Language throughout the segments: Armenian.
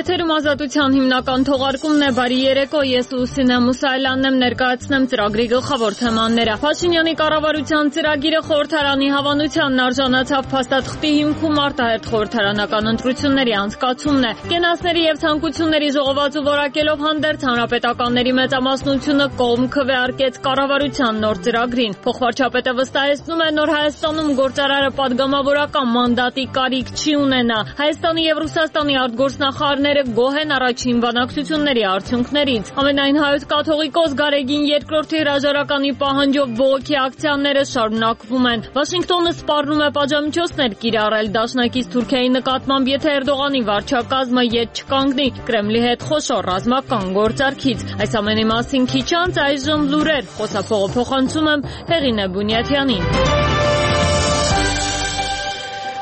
Եթերում ազատության հիմնական թողարկումն է, բարի երեկո, ես Լուսինե Մուսայելյանն եմ, ներկայացնեմ ծրագրի գլխավոր թեմաները։ Փաշինյանի կառավարության ծրագիրը խորհրդարանի հավանությանն արժանացավ, փաստաթղթի հիմքում արտահերթ խորհրդարանական ընտրությունների անցկացումն է։ Կենացների եւ ցանկությունների ժողովածու որակելով հանդերձ հանրապետականների մեծամասնությունը կողմ քվեարկեց կառավարության նոր ծրագրին։ Փոխվարչապետը վստահեցնում է, նոր Հայաստանում գործարարը падգամավորական մանդատի կարիք չի ունենա։ Հայաստանի եւ Ռուսաստանի արտգործնախարարները գոհ են առաջին բանակցությունների արդյունքներից։ Ամենայն հայոց կաթողիկոս Գարեգին II հրաժարականի պահանջով բողոքի ակցիաները շարունակվում են։ Վաշինգտոնը սպառնում է պատժամիջոցներ կիրառել դաշնակից Թուրքիայի նկատմամբ, եթե Էրդողանի վարչակազմը ետ չկանգնի Կրեմլի հետ խոշոր ռազմական գործարքից։ Այս ամենի մասին քիչ անց այժմ լուրեր, խոսափողը փոխանցում եմ Հեղինե Բունյաթյանին։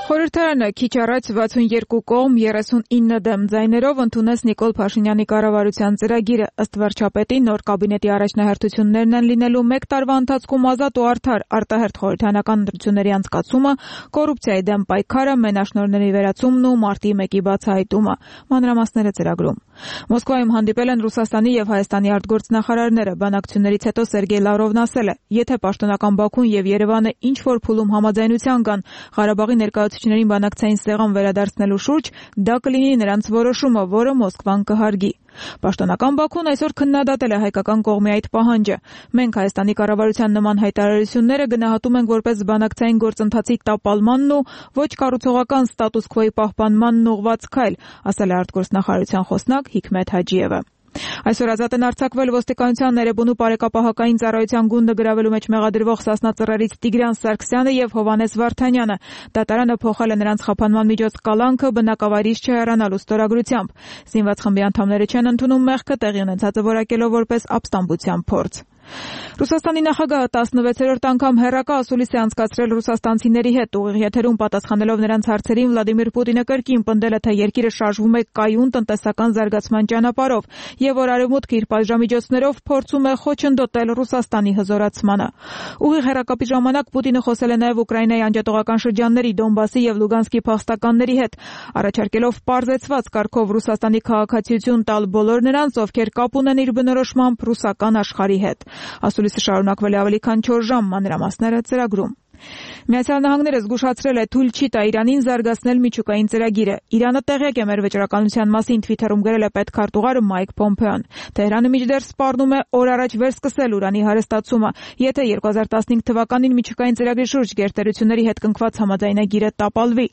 Խորհրդարանը քիչ առաջ 62 կողմ 39 դեմ ձայներով ընդունեց Նիկոլ Փաշինյանի կառավարության ծրագիրը։ Ըստ վարչապետի, նոր կաբինետի առաջնահերթություններն են լինելու 1 տարվա ընթացքում ազատ ու արդար արտահերթ խորհրդարանական ընտրությունների անցկացումը, կոռուպցիայի դեմ պայքարը, մենաշնորհների վերացումն ու մարտի 1-ի բացահայտումը։ Մանրամասները ծրագրում։ Մոսկվայում հանդիպել են Ռուսաստանի եւ Հայաստանի արտգործնախարարները։ Բանակցություններից հետո Սերգեյ Լավրովն ասել է, եթե պաշտոնական Բաքուն եւ Երևանը ինչ որ փուլում համաձայնության կան Ղարաբաղի ներկայացուցիչներին բանակցային սեղան վերադարձնելու շուրջ, դա կլինի նրանց որոշումը, որը Մոսկվան կհարգի։ Պաշտոնական Բաքուն այսօր քննադատել է հայկական կողմի այդ պահանջը։ Մենք Հայաստանի կառավարության նման հայտարարությունները գնահատում ենք որպես բանակցային գործընթացի տապալմանն ու ոչ կառուցողական ստատուս քվոյի պահպանմանն ուղղված քայլ, ասել է արտգործնախարարության խոսնակ Հիկմետ Հաջիևը։ Այսօր ազատ են արձակվել ոստիկանության ներեբունու բարեկապահական ծառայության գունդը գրավելու մեջ մեղադրվող Սասնա ծռերից Տիգրան Սարգսյանը եւ Հովհաննես Վարդանյանը։ Դատարանը փոխել է նրանց խափանման միջոց կալանքը բնակավայրից չհեռանալու ստորագրությամբ։ Զինված խմբի անդամները չեն ընդունում մեղքը, տեղի ունեցածը որակելով որպես ապստամբության փորձ։ Ռուսաստանի նախագահը 16-րդ անգամ հեռակա ասուլիս է անցկացրել ռուսաստանցիների հետ։ Ուղիղ եթերում պատասխանելով նրանց հարցերին Վլադիմիր Պուտինը կրկին պնդել է, թե երկիրը շարժվում է կայուն տնտեսական զարգացման ճանապարհով եւ որ արևմուտքը իր պատժամիջոցներով փորձում է խոչընդոտել Ռուսաստանի հզորացմանը։ Ուղիղ հեռակապի ժամանակ Պուտինը խոսել է նաեւ Ուկրաինայի անջատողական շրջանների Դոնբասի եւ Լուգանսկի փախստականների հետ, առաջարկելով պարզեցված կարգով Ռուսաստանի քաղաքացիություն տալ բոլոր նրանց, ովքեր կապ ունեն իր բնորոշմամբ ռուսական աշխարհի հետ։ Ասուլիսը շարունակվել է ավելի քան 4 ժամ, մանրամասները ծրագրում։ Միացյալ Նահանգները զգուշացրել է թույլ չի տա Իրանին զարգացնել միջուկային ծրագիրը։ Իրանը տեղյակ է մեր վճռականության մասին, Թվիթերում գրել է պետքարտուղարը Մայք Պոմպեոն։ Թեհրանը մինչդեռ սպառնում է օր առաջ վերսկսել ուրանի հարստացումը, եթե 2015 թվականին միջուկային ծրագրի շուրջ գերտերությունների հետ կնքված համաձայնագիրը տապալվի։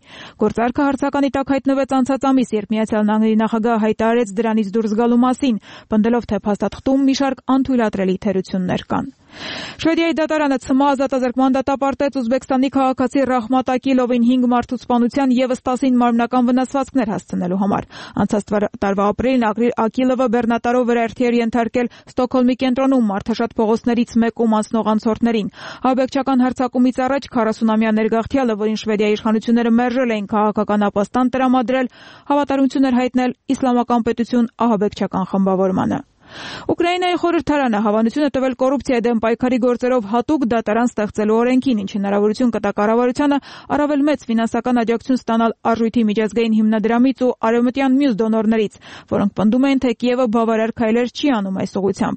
Գործարքը հարցականի տակ հայտնվեց անցած ամիս, երբ Միացյալ Նահանգների նախագահը հայտարարեց դրանից դուրս գալու մասին, պնդելով, թե փաստաթղթում մի շարք անթույլատրելի թերություններ կան։ Շվեդիայի դատարանը ՑՄ ազատազրկման դատապարտեց Ուզբեկստանի քաղաքացի Ռահմատ Ակիլովին 5 մարդու սպանության եւս 10 մարմնական վնասվածքներ հասցնելու համար։ Անցած տարվա ապրիլին Ակիլովը բեռնատարով վրայերթի էր ենթարկել Ստոկհոլմի կենտրոնում մարդաշատ փողոցներից մեկում անցնող անցորդներին։ Ահաբեկչական հարձակումից առաջ 40-ամյա ներգաղթյալը, որին Շվեդիայի իշխանությունները մերժել էին քաղաքական ապաստան տրամադրել, հավատարմություն էր հայտնել իսլամական պետություն ահաբեկչական խմբավորմանը։ Ուկրաինայի խորհրդարանը հավանություն է տվել կոռուպցիայի դեմ պայքարի գործերով հատուկ դատարան ստեղծելու օրենքին, ինչը հնարավորություն կտա կառավարությանը առավել մեծ ֆինանսական աջակցություն ստանալ արժույթի միջազգային հիմնադրամից ու արևմտյան մյուս դոնորներից, որոնք պնդում են, թե Կիևը բավարար քայլեր չի անում այս ուղղությամբ։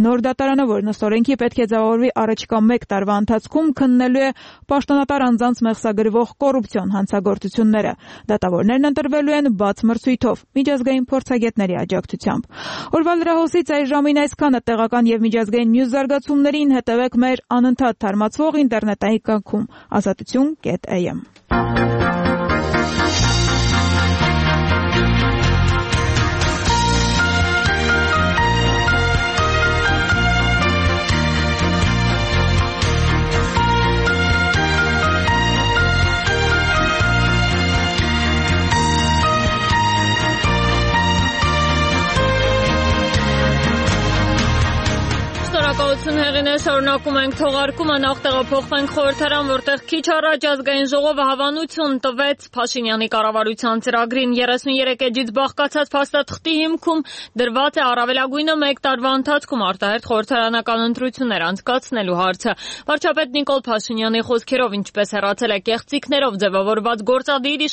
Նոր դատարանը, որն ըստ օրենքի պետք է ձևավորվի առաջիկա 1 տարվա ընթացքում, քննելու է պաշտոնատար անձանց մեղսագրվող կոռուպցիոն հանցագործությունները։ Դատավորներն ընտրվելու են բաց մրցույթով, միջազգային փորձագետների աջակցությամբ։ Օրվա լրահոսից այս ժամին այսքանը, տեղական եւ միջազգային մյուս զարգացումներին հետևեք մեր անընդհատ թարմացվող ինտերնետային կայքում azatutun.am։ Շնորհակալություն Հեղինե, շարունակում ենք թողարկումը, նախ տեղափոխվենք խորհրդարան, որտեղ քիչ առաջ ազգային ժողովը հավանություն տվեց Փաշինյանի կառավարության ծրագրին։ 33 էջից բաղկացած փաստաթղթի հիմքում դրված է առավելագույնը 1 տարվա ընթացքում արտահերթ խորհրդարանական ընտրություններ անցկացնելու հարցը։ Վարչապետ Նիկոլ Փաշինյանի խոսքերով, ինչպես հեռացել է կեղծիքներով ձևավորված գործադիր